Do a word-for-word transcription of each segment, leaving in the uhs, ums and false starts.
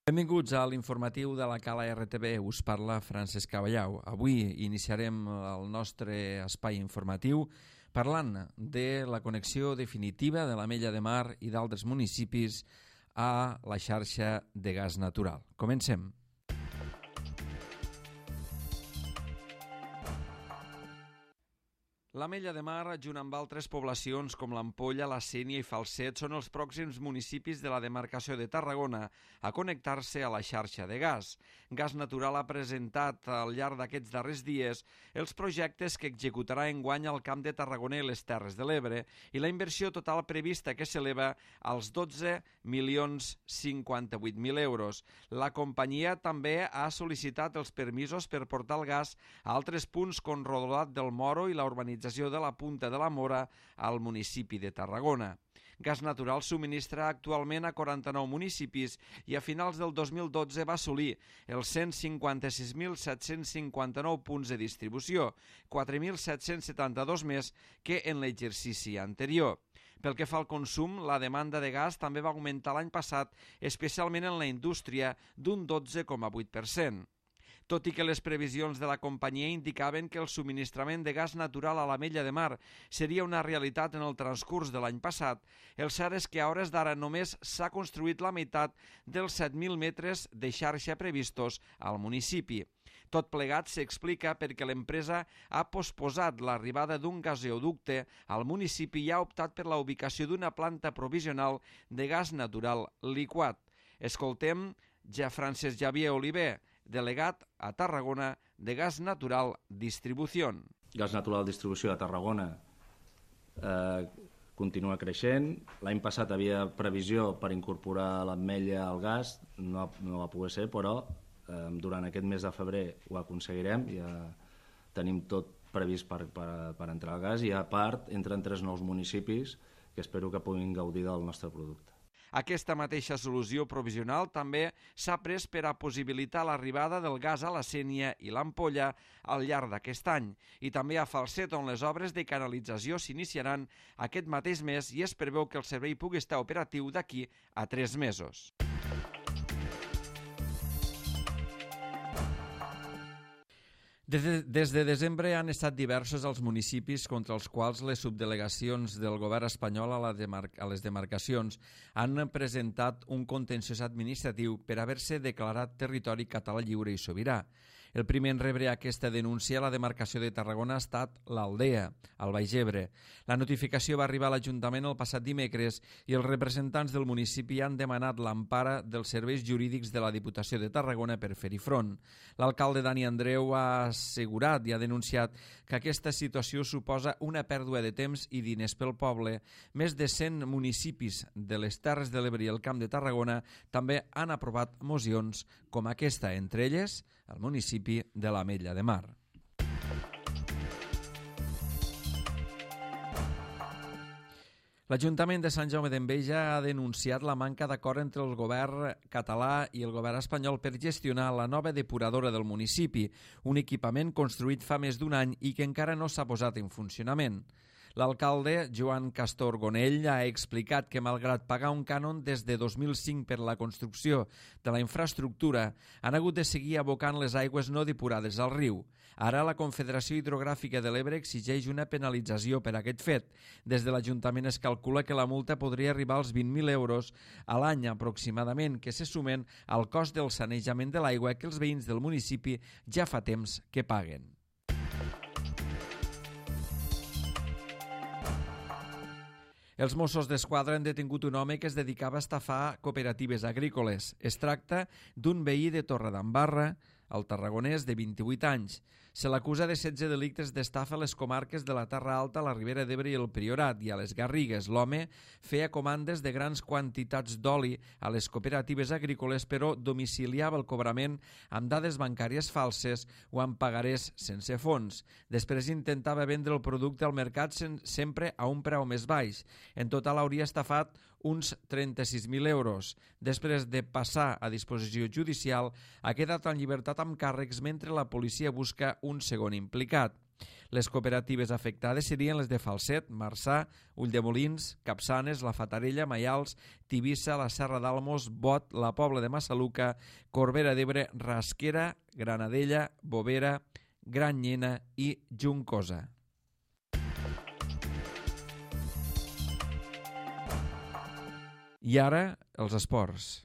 Benvinguts a l'informatiu de la Cala R T B. Us parla Francesc Caballau. Avui iniciarem el nostre espai informatiu parlant de la connexió definitiva de l'Ametlla de Mar i d'altres municipis a la xarxa de gas natural. Comencem. L'Ametlla de Mar, junt amb altres poblacions com l'Ampolla, la Sénia i Falset, són els pròxims municipis de la demarcació de Tarragona a connectar-se a la xarxa de gas. Gas Natural ha presentat al llarg d'aquests darrers dies els projectes que executarà enguany al Camp de Tarragona i les Terres de l'Ebre i la inversió total prevista que s'eleva als dotze milions cinquanta-vuit mil euros. La companyia també ha sol·licitat els permisos per portar el gas a altres punts com Rodolat del Moro i la urbanització de la Punta de la Mora al municipi de Tarragona. Gas Natural subministra actualment a quaranta-nou municipis i a finals del dos mil dotze va assolir els cent cinquanta-sis mil set-cents cinquanta-nou punts de distribució, quatre mil set-cents setanta-dos més que en l'exercici anterior. Pel que fa al consum, la demanda de gas també va augmentar l'any passat, especialment en la indústria, d'un dotze coma vuit per cent. Tot i que les previsions de la companyia indicaven que el subministrament de gas natural a l'Ametlla de Mar seria una realitat en el transcurs de l'any passat, el cert és que a hores d'ara només s'ha construït la meitat dels set mil metres de xarxa previstos al municipi. Tot plegat s'explica perquè l'empresa ha posposat l'arribada d'un gasoducte al municipi i ha optat per la ubicació d'una planta provisional de gas natural liquat. Escoltem ja Francesc Javier Oliver, delegat a Tarragona de Gas Natural Distribución. Gas Natural Distribució a Tarragona eh, continua creixent. L'any passat havia previsió per incorporar l'Ametlla al gas, no, no va poder ser, però eh, durant aquest mes de febrer ho aconseguirem, ja tenim tot previst per, per, per entrar al gas i a part entren tres nous municipis que espero que puguin gaudir del nostre producte. Aquesta mateixa solució provisional també s'ha pres per a possibilitar l'arribada del gas a la Sénia i l'Ampolla al llarg d'aquest any i també a Falset, on les obres de canalització s'iniciaran aquest mateix mes i es preveu que el servei pugui estar operatiu d'aquí a tres mesos. Des de, des de desembre han estat diversos els municipis contra els quals les subdelegacions del govern espanyol a, la demar a les demarcacions han presentat un contenciós administratiu per haver-se declarat territori català lliure i sobirà. El primer en rebre aquesta denúncia a la demarcació de Tarragona ha estat l'Aldea, al Baix Ebre. La notificació va arribar a l'Ajuntament el passat dimecres i els representants del municipi han demanat l'empara dels serveis jurídics de la Diputació de Tarragona per fer-hi front. L'alcalde Dani Andreu ha assegurat i ha denunciat que aquesta situació suposa una pèrdua de temps i diners pel poble. Més de cent municipis de les Terres de l'Ebre i el Camp de Tarragona també han aprovat mocions com aquesta, entre elles el municipi de l'Ametlla de Mar. L'Ajuntament de Sant Jaume d'Enveja ha denunciat la manca d'acord entre el govern català i el govern espanyol per gestionar la nova depuradora del municipi, un equipament construït fa més d'un any i que encara no s'ha posat en funcionament. L'alcalde, Joan Castor Gonell, ha explicat que malgrat pagar un cànon des de dos mil cinc per la construcció de la infraestructura, han hagut de seguir abocant les aigües no depurades al riu. Ara la Confederació Hidrogràfica de l'Ebre exigeix una penalització per aquest fet. Des de l'Ajuntament es calcula que la multa podria arribar als vint mil euros a l'any aproximadament, que se sumen al cost del sanejament de l'aigua que els veïns del municipi ja fa temps que paguen. Els Mossos d'Esquadra han detingut un home que es dedicava a estafar cooperatives agrícoles. Es tracta d'un veí de Torredembarra, el tarragonès de vint-i-vuit anys. Se l'acusa de setze delictes d'estafa a les comarques de la Terra Alta, la Ribera d'Ebre i el Priorat, i a les Garrigues. L'home feia comandes de grans quantitats d'oli a les cooperatives agrícoles, però domiciliava el cobrament amb dades bancàries falses o amb pagarés sense fons. Després intentava vendre el producte al mercat sempre a un preu més baix. En total hauria estafat uns trenta-sis mil euros. Després de passar a disposició judicial, ha quedat en llibertat amb càrrecs mentre la policia busca un segon implicat. Les cooperatives afectades serien les de Falset, Marçà, Ulldemolins, Capçanes, La Fatarella, Maials, Tivissa, la Serra d'Almos, Bot, la Pobla de Massaluca, Corbera d'Ebre, Rasquera, Granadella, Bovera, Granyena i Juncosa. I ara, els esports.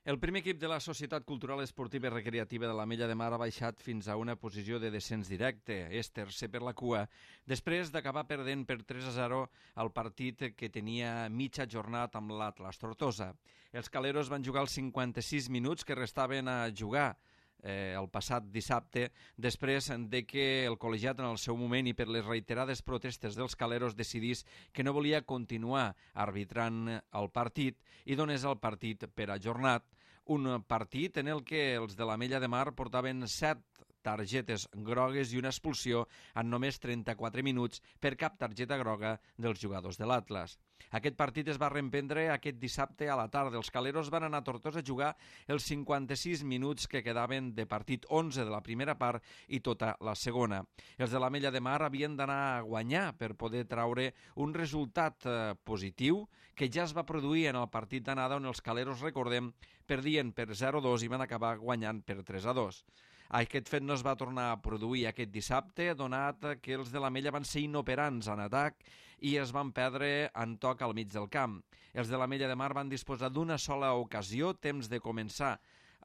El primer equip de la Societat Cultural Esportiva i Recreativa de l'Ametlla de Mar ha baixat fins a una posició de descens directe. És tercer per la cua, després d'acabar perdent per tres a zero el partit que tenia mitja jornada amb l'Atlas Tortosa. Els caleros van jugar els cinquanta-sis minuts que restaven a jugar Eh, el passat dissabte, després de que el col·legiat en el seu moment i per les reiterades protestes dels caleros decidís que no volia continuar arbitrant el partit i donés el partit per ajornat. Un partit en el que els de l'Ametlla de Mar portaven set targetes grogues i una expulsió en només trenta-quatre minuts per cap targeta groga dels jugadors de l'Atlas. Aquest partit es va reemprendre aquest dissabte a la tarda. Els caleros van anar a Tortosa a jugar els cinquanta-sis minuts que quedaven de partit, onze de la primera part i tota la segona. Els de l'Ametlla de Mar havien d'anar a guanyar per poder traure un resultat eh, positiu que ja es va produir en el partit d'anada on els caleros, recordem, perdien per zero a dos i van acabar guanyant per tres a dos. Aquest fet no es va tornar a produir aquest dissabte, donat que els de l'Ametlla van ser inoperants en atac i es van perdre en toc al mig del camp. Els de l'Ametlla de Mar van disposar d'una sola ocasió, temps de començar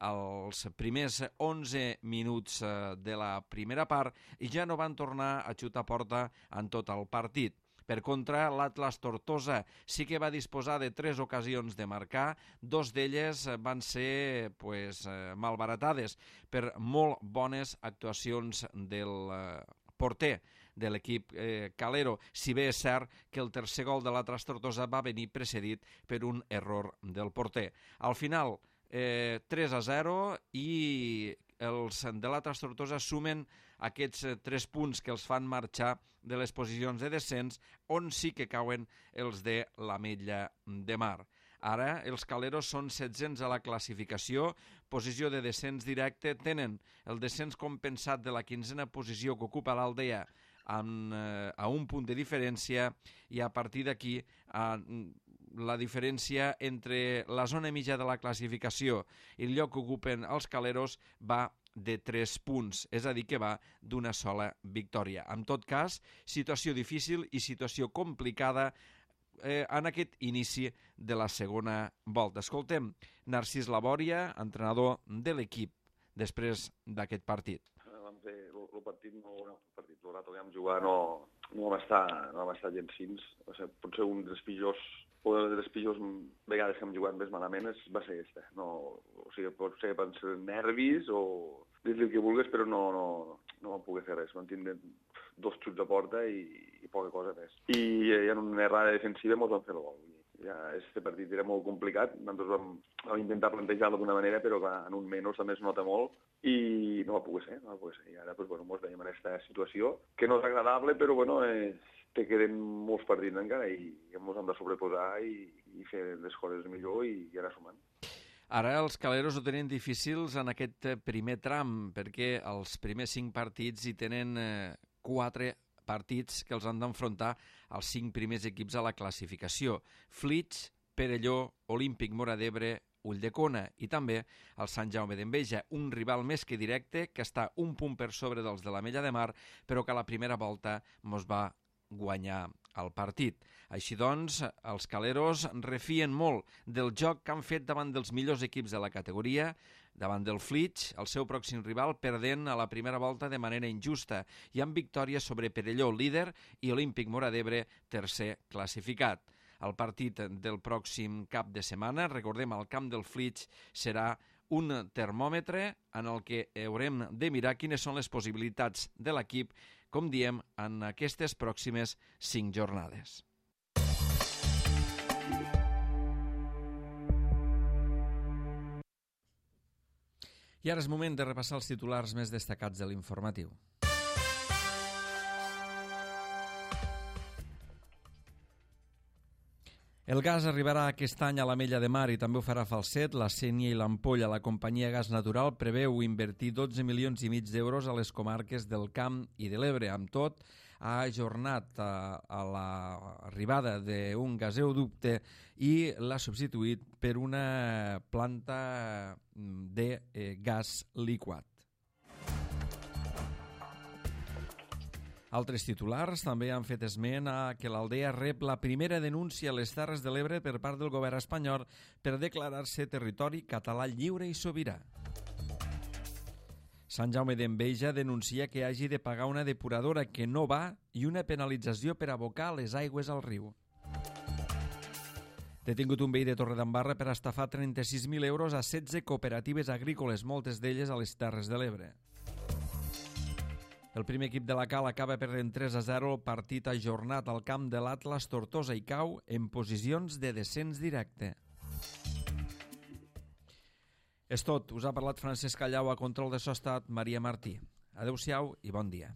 els primers onze minuts de la primera part i ja no van tornar a xutar porta en tot el partit. Per contra, l'Atlas Tortosa sí que va disposar de tres ocasions de marcar, dos d'elles van ser pues, malbaratades per molt bones actuacions del porter de l'equip eh, calero, si bé és cert que el tercer gol de l'Atlas Tortosa va venir precedit per un error del porter. Al final, eh, tres a zero i els de l'Atlas Tortosa sumen aquests tres punts que els fan marxar de les posicions de descens, on sí que cauen els de l'Ametlla de Mar. Ara els caleros són setzents a la classificació, posició de descens directe, tenen el descens compensat de la quinzena posició que ocupa l'Aldea amb, eh, a un punt de diferència i a partir d'aquí eh, la diferència entre la zona mitja de la classificació i el lloc que ocupen els caleros va de tres punts, és a dir, que va d'una sola victòria. En tot cas, situació difícil i situació complicada eh, en aquest inici de la segona volta. Escoltem Narcís Labòria, entrenador de l'equip, després d'aquest partit. Vam fer el partit, no, no, el partit, el rato que vam jugar no, no vam estar, no vam estar gens fins. Va ser potser un dels pitjors o de les pitjors vegades que hem jugat més malament és, va ser aquesta. No, o sigui, pot ser per ser nervis o dir-li el que vulguis, però no, no, no vam poder fer res. Vam tindre dos xuts de porta i, i poca cosa més. I, i en una errada defensiva ens vam fer el gol. Ja, este partit era molt complicat, nosaltres vam, vam intentar plantejar-lo d'una manera, però clar, en un menys també es nota molt i no va poder ser, no va poder ser. I ara pues, bueno, ens veiem en aquesta situació, que no és agradable, però bueno, eh, te queden molts partits encara i ens hem de sobreposar i, i fer les coses millor i, i anar sumant. Ara els caleros ho tenen difícils en aquest primer tram, perquè els primers cinc partits hi tenen eh, quatre partits que els han d'enfrontar els cinc primers equips a la classificació. Flix, Perelló, Olímpic Móra d'Ebre, Ulldecona i també el Sant Jaume d'Enveja, un rival més que directe que està un punt per sobre dels de l'Ametlla de Mar, però que a la primera volta mos va guanyar el partit. Així doncs, els caleros refien molt del joc que han fet davant dels millors equips de la categoria, davant del Flix, el seu pròxim rival, perdent a la primera volta de manera injusta i amb victòria sobre Perelló, líder, i Olímpic Móra d'Ebre, tercer classificat. El partit del pròxim cap de setmana, recordem, al camp del Flix, serà un termòmetre en el que haurem de mirar quines són les possibilitats de l'equip, com diem, en aquestes pròximes cinc jornades. I ara és moment de repassar els titulars més destacats de l'informatiu. El gas arribarà aquest any a l'Ametlla de Mar i també ho farà Falset, la Sénia i l'Ampolla. La companyia Gas Natural preveu invertir dotze milions i mig d'euros a les comarques del Camp i de l'Ebre. Amb tot, ha ajornat a, a l'arribada d'un gasoducte i l'ha substituït per una planta de eh, gas liquat. Altres titulars també han fet esment a que l'Aldea rep la primera denúncia a les Terres de l'Ebre per part del govern espanyol per declarar-se territori català lliure i sobirà. Sant Jaume d'Enveja denuncia que hagi de pagar una depuradora que no va i una penalització per abocar les aigües al riu. Detingut un veí de Torredembarra per estafar trenta-sis mil euros a setze cooperatives agrícoles, moltes d'elles a les Terres de l'Ebre. El primer equip de la Cal acaba perdent tres a zero el partit ajornat al camp de l'Atlas Tortosa i cau en posicions de descens directe. És tot. Us ha parlat Francesc Callau, a control de so ha estat Maria Martí. Adéu-siau i bon dia.